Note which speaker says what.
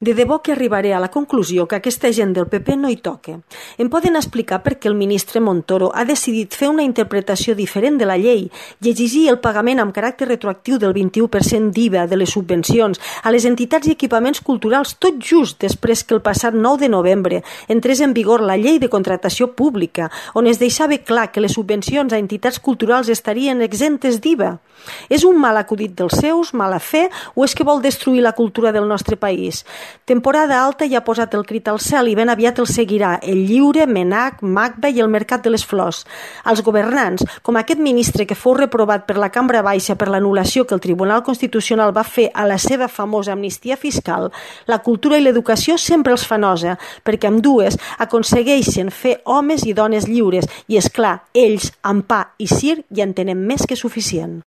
Speaker 1: De debò que arribaré a la conclusió que aquesta gent del PP no hi toca. Em poden explicar per què el ministre Montoro ha decidit fer una interpretació diferent de la llei i exigir el pagament amb caràcter retroactiu del 21% d'IVA de les subvencions a les entitats i equipaments culturals tot just després que el passat 9 de novembre entrés en vigor la llei de contractació pública, on es deixava clar que les subvencions a entitats culturals estarien exemptes d'IVA. És un mal acudit dels seus, mala fe, o és que vol destruir la cultura del nostre país? Temporada alta ja ha posat el crit al cel i ben aviat el seguirà el Lliure, Menac, Macba i el Mercat de les Flors. Els governants, com aquest ministre que fou reprovat per la Cambra Baixa per l'anul·lació que el Tribunal Constitucional va fer a la seva famosa amnistia fiscal, la cultura i l'educació sempre els fa nosa, perquè amb dues aconsegueixen fer homes i dones lliures i, és clar, ells, amb pa i circ, ja en tenen més que suficient.